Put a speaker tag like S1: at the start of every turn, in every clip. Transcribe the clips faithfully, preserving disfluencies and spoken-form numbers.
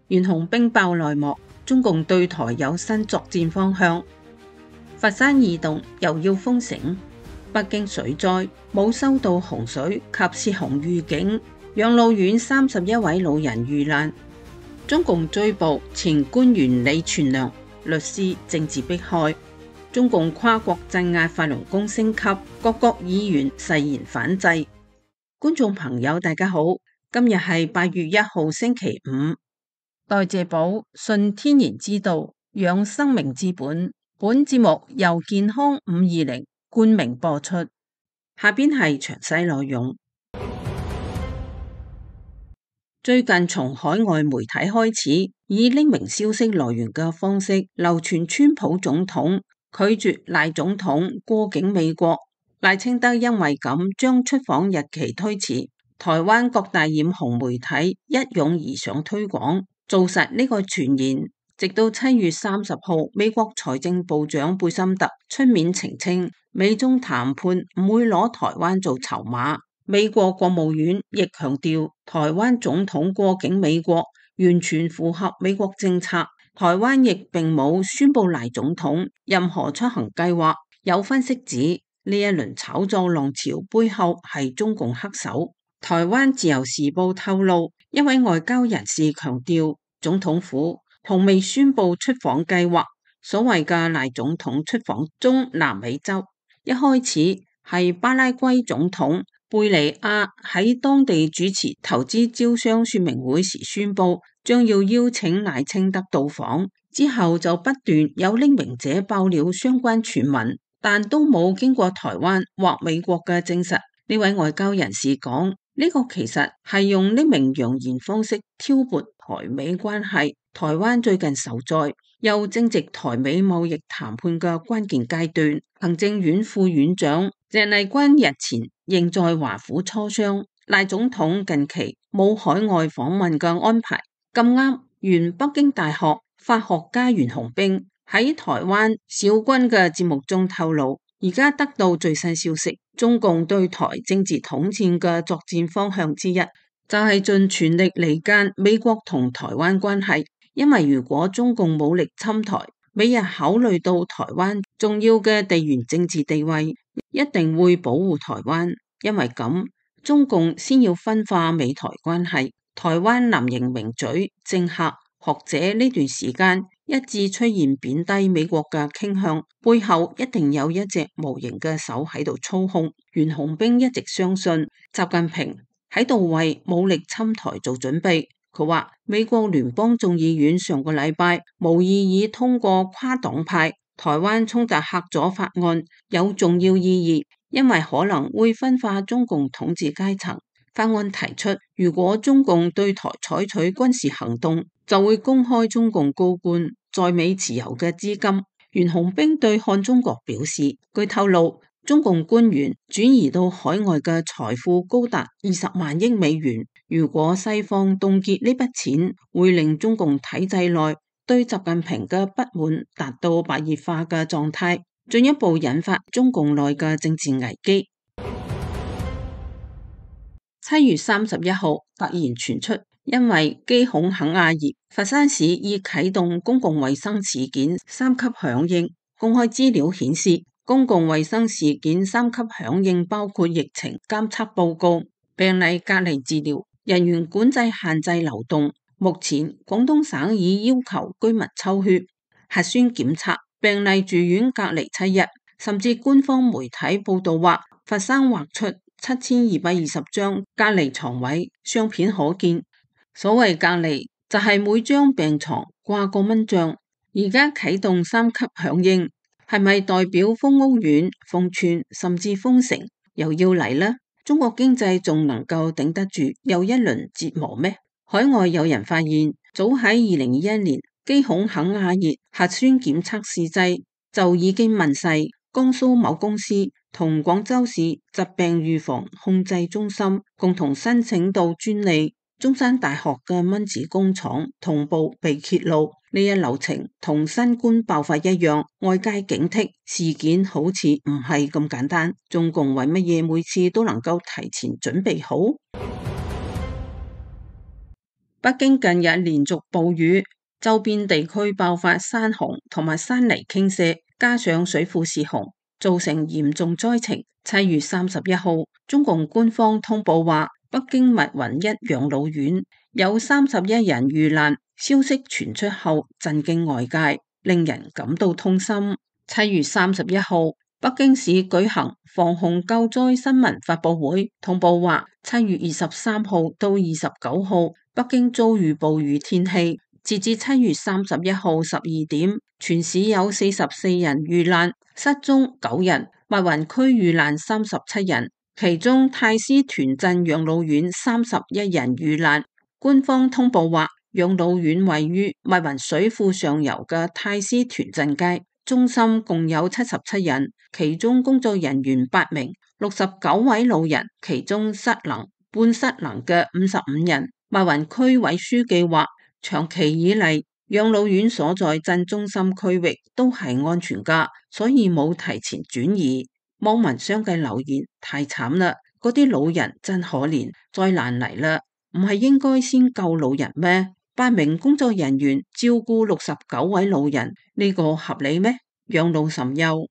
S1: 袁洪兵爆內幕，中共對台有新作戰方向。佛山異動又要封城，北京水災冇收到洪水及泄洪預警，養老院三十一位老人遇難。中共追捕前官員李全良，律師政治迫害。中共跨國鎮壓法輪功升級，各國議員誓言反制。觀眾朋友大家好，今日係八月一號星期五。代謝寶，順天然之道，養生命之本。本節目由健康五二零冠名播出。下邊係詳細內容。最近從海外媒體開始以匿名消息來源嘅方式流傳川普總統拒絕賴總統過境美國，賴清德因為咁將出訪日期推遲，台灣各大染紅媒體一擁而上推廣，做實呢個傳言。直到七月三十號，美國財政部長貝森特出面澄清，美中談判唔會攞台灣做籌碼。美國國務院亦強調，台灣總統過境美國完全符合美國政策。台灣亦並冇宣布賴總統任何出行計劃。有分析指，呢一輪炒作浪潮背後係中共黑手。台灣自由時報透露，一位外交人士強調，總統府同未宣布出訪計劃。所謂嘅賴總統出訪中南美洲，一開始係巴拉圭總統貝利亞喺當地主持投資招商說明會時宣布，將要邀請賴清德到訪。之後就不斷有匿名者爆料相關傳聞，但都冇經過台灣或美國嘅證實。呢位外交人士講，呢個其實係用匿名揚言方式挑撥台美關係。台灣最近受災，又正值台美貿易談判嘅關鍵階段。行政院副院長鄭麗君日前仍在華府磋商。賴總統近期冇海外訪問嘅安排，咁啱原北京大學法學家袁洪兵喺台灣小軍嘅節目中透露，而家得到最新消息，中共對台政治統戰嘅作戰方向之一，就係盡全力離間美國同台灣關係。因為如果中共武力侵台，美日考慮到台灣重要嘅地緣政治地位，一定會保護台灣。因為咁，中共先要分化美台關係。台灣藍營名嘴、政客、學者呢段時間一致出現貶低美國嘅傾向，背後一定有一隻無形嘅手喺度操控。袁洪兵一直相信習近平喺度為武力侵台做準備。佢話美國聯邦眾議院上個禮拜無異議通過跨黨派台灣衝突嚇阻法案，有重要意義，因為可能會分化中共統治階層。法案提出，如果中共對台採取軍事行動，就會公開中共高官在美持有嘅資金。袁洪兵對漢中國表示，據透露，中共官員轉移到海外嘅財富高達二十萬億美元。如果西方凍結呢筆錢，會令中共體制內對習近平嘅不滿達到白熱化嘅狀態，進一步引發中共內嘅政治危機。七月三十一號突然傳出，因為機孔肯亞熱，佛山市已啟動公共衛生事件三級響應。公開資料顯示，公共衛生事件三級響應包括疫情監測報告、病例隔離治療、人員管制限制流動。目前廣東省已要求居民抽血、核酸檢測、病例住院隔離七日，甚至官方媒體報道話佛山劃出七千二百二十張隔離床位，相片可見。所謂隔離就係每張病床掛個蚊帳。而家啟動三級響應，係咪代表封屋苑、封村甚至封城又要嚟呢？中國經濟仲能夠頂得住又一輪折磨咩？海外有人發現，早喺二零二一年機孔肯亞熱核酸檢測試劑就已經問世，江蘇某公司同廣州市疾病預防控制中心共同申請到專利。中山大學嘅蚊子工廠同步被揭露，呢一流程同新冠爆發一樣，外界警惕事件好似唔係咁簡單。中共為乜嘢每次都能夠提前準備好？北京近日連續暴雨，周邊地區爆發山洪同埋山泥傾瀉，加上水庫泄洪，造成嚴重災情。七月三十一號，中共官方通報話，北京密雲一養老院有三十一人遇難，消息傳出後震驚外界，令人感到痛心。七月三十一號，北京市舉行防洪救災新聞發佈會，通報話，七月二十三號到二十九號，北京遭遇暴雨天氣。截至七月三十一號十二點，全市有四十四人遇難，失蹤九人，密雲區遇難三十七人，其中太師屯鎮養老院三十一人遇難。官方通報話，養老院位於密雲水庫上游嘅太師屯鎮街，中心共有七十七人，其中工作人員八名，六十九位老人，其中失能、半失能嘅五十五人。密雲區委書記話，長期以嚟，養老院所在鎮中心區域都係安全噶，所以冇提前轉移。網民相繼留言：太慘啦，嗰啲老人真可憐，災難嚟啦，唔係應該先救老人咩？八名工作人員照顧六十九位老人，呢個合理咩？養老甚優，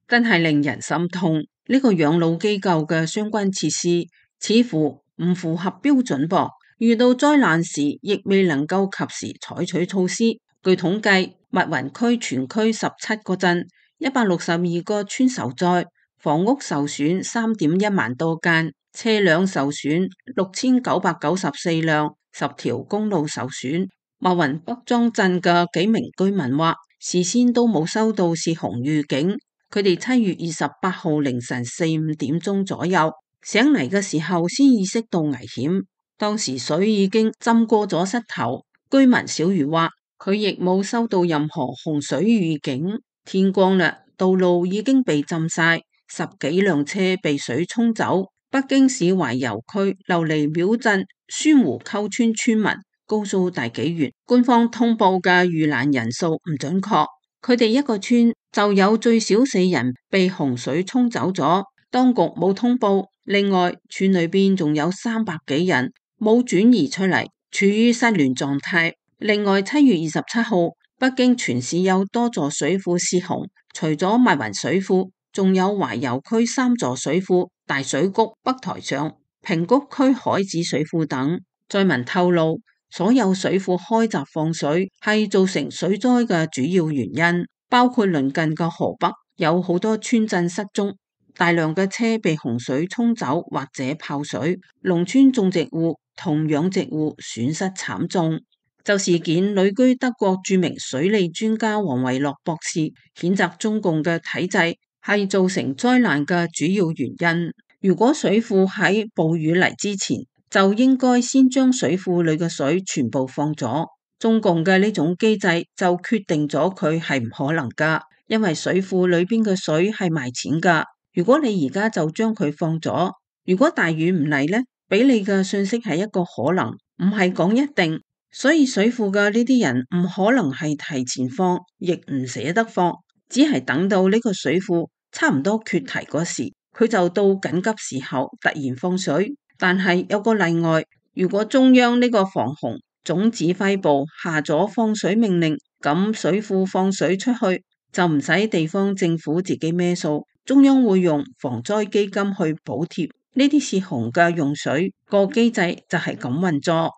S1: 真係令人心痛。呢個養老機構嘅相關設施似乎唔符合標準噃。遇到災難時，亦未能夠及時採取措施。據統計，密雲區全區十七個鎮，一百六十二個村受災，房屋受損三點一萬多間，車輛受損六千九百九十四輛，十條公路受損。密雲北莊鎮嘅幾名居民話，事先都冇收到泄洪預警，佢哋七月二十八號凌晨四五點鐘左右醒嚟嘅時候，先意識到危險。當時水已經浸過咗膝頭，居民小魚話佢亦冇收到任何洪水預警。天光啦，道路已經被浸晒，十幾輛車被水沖走。北京市懷柔區琉璃廟鎮宣湖溝村村民告訴大紀元，官方通報嘅遇難人數唔準確，佢哋一個村就有最少四人被洪水沖走咗，當局冇通報。另外，村裏邊仲有三百幾人冇轉移出嚟，處於失聯狀態。另外，七月二十七號，北京全市有多座水庫泄洪，除咗密雲水庫，仲有懷柔區三座水庫、大水谷、北台上、平谷區海子水庫等。災民透露，所有水庫開閘放水係造成水災嘅主要原因，包括鄰近嘅河北有好多村鎮失蹤。大量嘅車被洪水沖走或者泡水，農村種植戶同養殖戶損失慘重。就事件，旅居德國著名水利專家王維洛博士譴責中共嘅體制係造成災難嘅主要原因。如果水庫喺暴雨嚟之前就應該先將水庫裏嘅水全部放咗，中共嘅呢種機制就決定咗佢係唔可能噶，因為水庫裏邊嘅水係賣錢噶。如果你而家就將佢放咗，如果大雨唔嚟呢，俾你嘅信息係一個可能，唔係講一定。所以水庫嘅呢啲人唔可能係提前放，亦唔捨得放，只係等到呢個水庫差唔多缺堤嗰時，佢就到緊急時候突然放水。但係有個例外，如果中央呢個防洪總指揮部下咗放水命令，咁水庫放水出去就唔使地方政府自己孭數。中央會用防災基金去補貼呢啲泄洪嘅用水，個機制就係咁運作。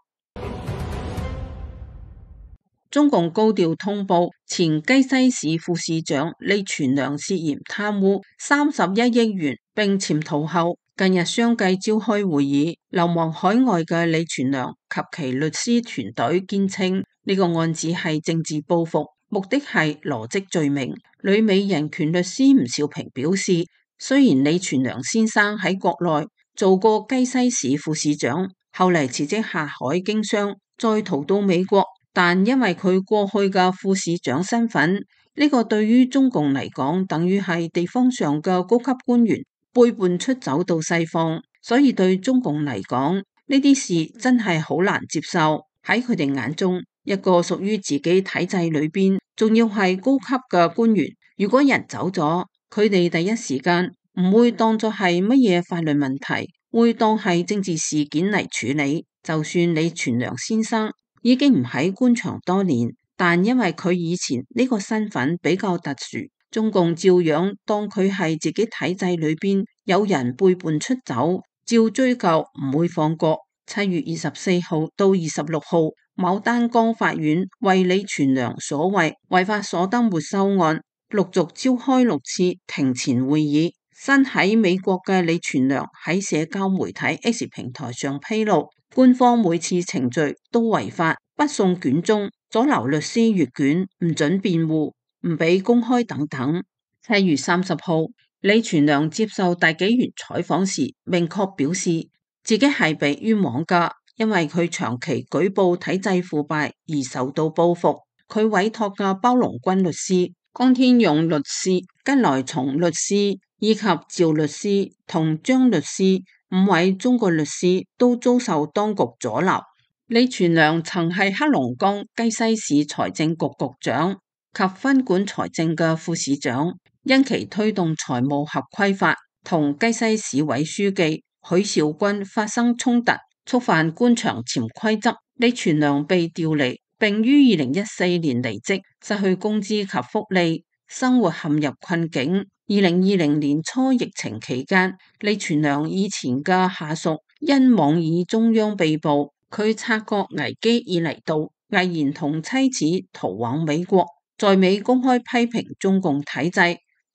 S1: 中共高調通報前雞西市副市長李全良涉嫌貪污三十一億元並潛逃後，近日相繼召開會議。流亡海外嘅李全良及其律師團隊堅稱呢個案子係政治報復，目的係羅織罪名。旅美人權律師吳兆平表示，雖然李全良先生喺國內做過雞西市副市長，後嚟辭職下海經商，再逃到美國，但因為佢過去嘅副市長身份，呢個對於中共嚟講，等於係地方上嘅高級官員背叛出走到西方，所以對中共嚟講，呢啲事真係好難接受。喺佢哋眼中，一個屬於自己體制裏邊，仲要係高級嘅官員，如果人走咗，佢哋第一時間唔會當作係乜嘢法律問題，會當係政治事件嚟處理。就算李全良先生已經唔喺官場多年，但因為佢以前呢個身份比較特殊，中共照樣當佢係自己體制裏邊有人背叛出走，照追究唔會放過。七月二十四號到二十六號，牡丹江法院為李全良所謂違法所得沒收案陸續召開六次庭前會議。身喺美國嘅李全良喺社交媒體 X 平台上披露，官方每次程序都違法，不送卷宗，阻撓律師閱卷，唔准辯護，唔俾公開等等。七月三十號，李全良接受大紀元採訪時，明確表示自己係被冤枉噶，因為佢長期舉報體制腐敗而受到報復。佢委託嘅包龍軍律師、江天勇律師、吉來松律師以及趙律師同張律師五位中國律師都遭受當局阻撓。李全良曾係黑龍江雞西市財政局局長及分管財政嘅副市長，因其推動財務合規法同雞西市委書記許兆軍發生衝突，觸犯官場潛規則，李全良被調離，並於二零一四年離職，失去工資及福利，生活陷入困境。二零二零年初疫情期間，李全良以前嘅下屬因妄議中央被捕，佢察覺危機已嚟到，毅然同妻子逃往美國，在美公開批評中共體制，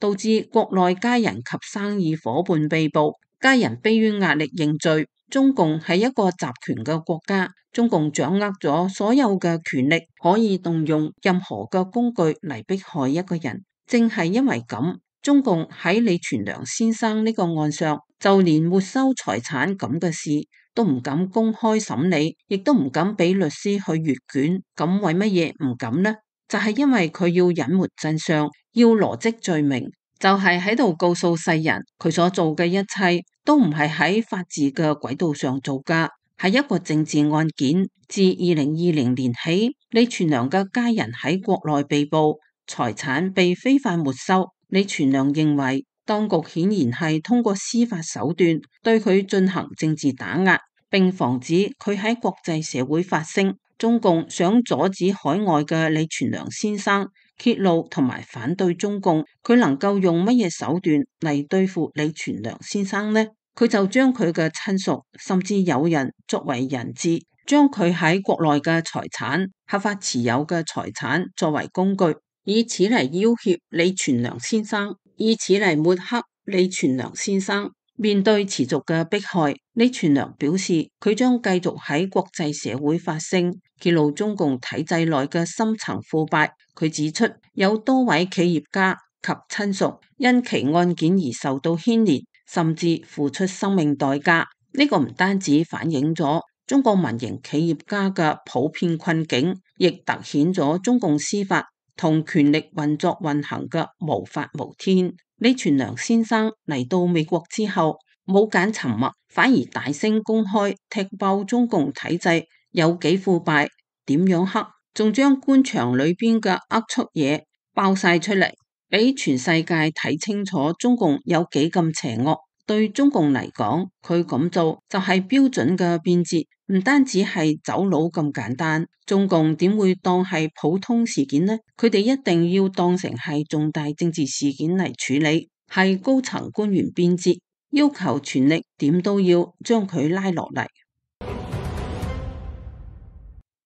S1: 導致國內家人及生意夥伴被捕，家人迫於壓力認罪。中共係一個集權嘅國家，中共掌握咗所有嘅權力，可以動用任何嘅工具嚟迫害一個人。正係因為咁，中共喺李全良先生呢個案上，就連沒收財產咁嘅事都唔敢公開審理，亦都唔敢俾律師去閱卷。咁為乜嘢唔敢呢？就係因為佢要隱瞞真相，要羅織罪名，就係喺度告訴世人，佢所做嘅一切都唔係喺法治嘅軌道上做噶，係一個政治案件。自二零二零年起，李全良嘅家人喺國內被捕，財產被非法沒收。李全良認為當局顯然係通過司法手段對佢進行政治打壓，並防止佢喺國際社會發聲。中共想阻止海外嘅李全良先生揭露同埋反對中共，佢能夠用乜嘢手段嚟對付李全良先生呢？佢就將佢嘅親屬甚至友人作為人質，將佢喺國內嘅財產、合法持有嘅財產作為工具，以此嚟要挾李全良先生，以此嚟抹黑李全良先生。面對持續嘅迫害，李全良表示佢將繼續喺國際社會發聲，揭露中共體制內嘅深層腐敗。佢指出有多位企業家及親屬因其案件而受到牽連，甚至付出生命代價。呢個唔單止反映咗中國民營企業家嘅普遍困境，亦凸顯咗中共司法同權力運作運行嘅無法無天。李全良先生嚟到美國之後，冇揀沉默，反而大聲公開踢爆中共體制有幾腐敗，點樣黑，仲將官場裏邊嘅齷齪嘢爆晒出嚟，俾全世界睇清楚中共有幾咁邪惡。對中共嚟講，佢咁做就係標準嘅變節，唔單止係走佬咁簡單。中共點會當係普通事件呢？佢哋一定要當成係重大政治事件嚟處理，係高層官員變節，要求全力點都要將佢拉落嚟。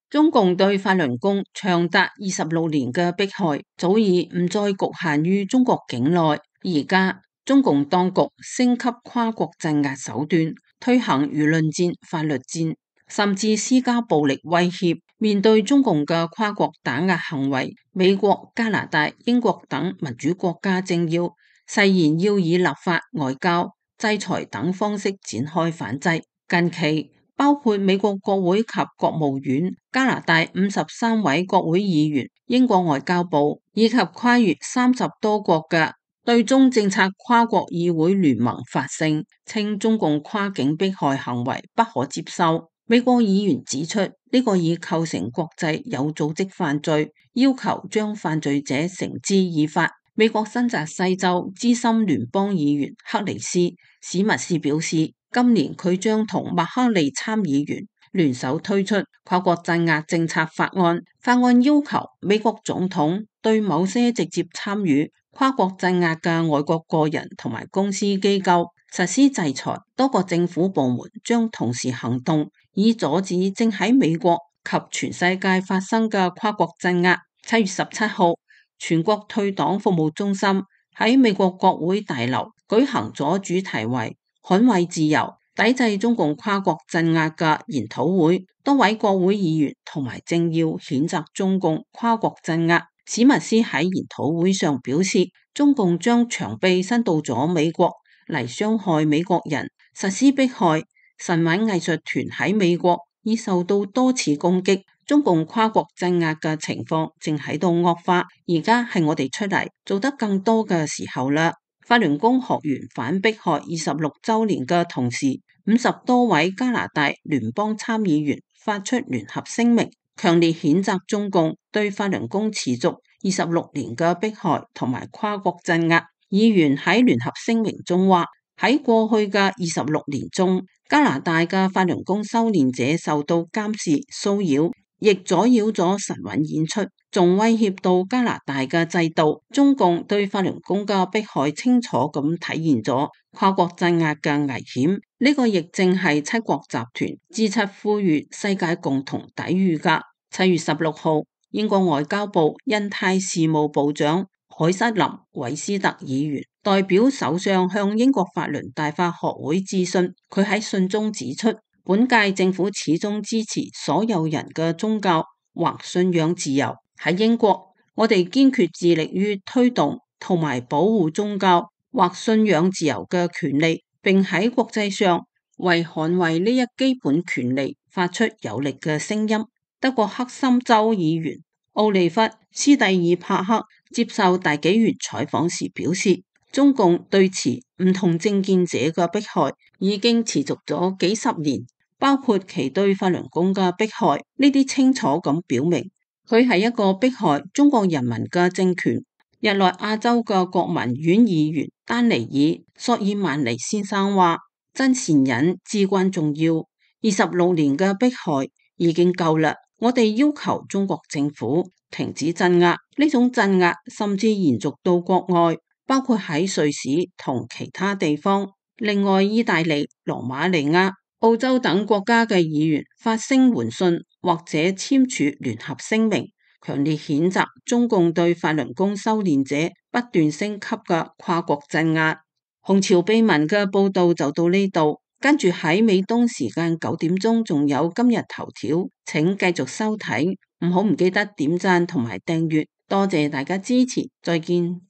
S1: 中共對法輪功長達二十六年嘅迫害，早已唔再局限於中國境內，而家中共當局升級跨國鎮壓手段，推行輿論戰、法律戰，甚至施加暴力威脅。面對中共嘅跨國打壓行為，美國、加拿大、英國等民主國家政要誓言要以立法、外交、制裁等方式展開反制。近期包括美國國會及國務院、加拿大五十三位國會議員、英國外交部以及跨越三十多國嘅對中政策跨國議會聯盟發聲，稱中共跨境迫害行為不可接受。美國議員指出，呢個已構成國際有組織犯罪，要求將犯罪者繩之以法。美國新澤西州資深聯邦議員克里斯史密斯表示，今年佢將同麥克利參議員聯手推出跨國鎮壓政策法案，法案要求美國總統對某些直接參與跨國鎮壓嘅外國個人同埋公司機構實施制裁。多個政府部門將同時行動，以阻止正喺美國及全世界發生嘅跨國鎮壓。七月十七號，全國退黨服務中心喺美國國會大樓舉行咗主題為捍衛自由、抵制中共跨國鎮壓嘅研討會。多位國會議員同埋政要譴責中共跨國鎮壓。史密斯喺研討會上表示，中共將長臂伸到咗美國嚟傷害美國人，實施迫害。神韻藝術團喺美國已受到多次攻擊，中共跨國鎮壓嘅情況正喺度惡化。而家係我哋出嚟做得更多嘅時候啦。法輪功學員反迫害二十六週年嘅同時，五十多位加拿大聯邦參議員發出聯合聲明，強烈譴責中共對法輪功持續二十六年嘅迫害同埋跨國鎮壓。議員喺聯合聲明中話，喺過去嘅二十六年中，加拿大嘅法輪功修煉者受到監視、騷擾，亦阻擾咗神韻演出，仲威脅到加拿大嘅制度。中共對法輪功嘅迫害清楚咁體現咗跨國鎮壓嘅危險。呢個亦正係七國集團 G 七呼籲世界共同抵禦噶。七月十六號，英國外交部印太事務部長凱瑟琳韋斯特議員代表首相向英國法輪大法學會致信，佢喺信中指出，本屆政府始終支持所有人嘅宗教或信仰自由。喺英國，我哋堅決致力於推動同埋保護宗教或信仰自由嘅權利，並喺國際上為捍衛呢一基本權利發出有力嘅聲音。德國黑森州議員奧利弗斯蒂爾帕克接受大紀元採訪時表示，中共對持唔同政見者嘅迫害已經持續咗幾十年，包括其對法輪功嘅迫害。呢啲清楚咁表明，佢係一個迫害中國人民嘅政權。日內亞州嘅國民院議員丹尼爾索爾曼尼先生話，真善忍至關重要，二十六年嘅迫害已經夠啦。我哋要求中國政府停止鎮壓，呢種鎮壓甚至延續到國外，包括喺瑞士同其他地方。另外，意大利、羅馬尼亞、澳洲等國家嘅議員發聲援信或者簽署聯合聲明，強烈譴責中共對法輪功修煉者不斷升級嘅跨國鎮壓。紅潮秘聞嘅報道就到呢度。跟住喺美東時間九點鐘，仲有今日頭條，請繼續收睇，唔好唔記得點讚同埋訂閱，多謝大家支持，再見。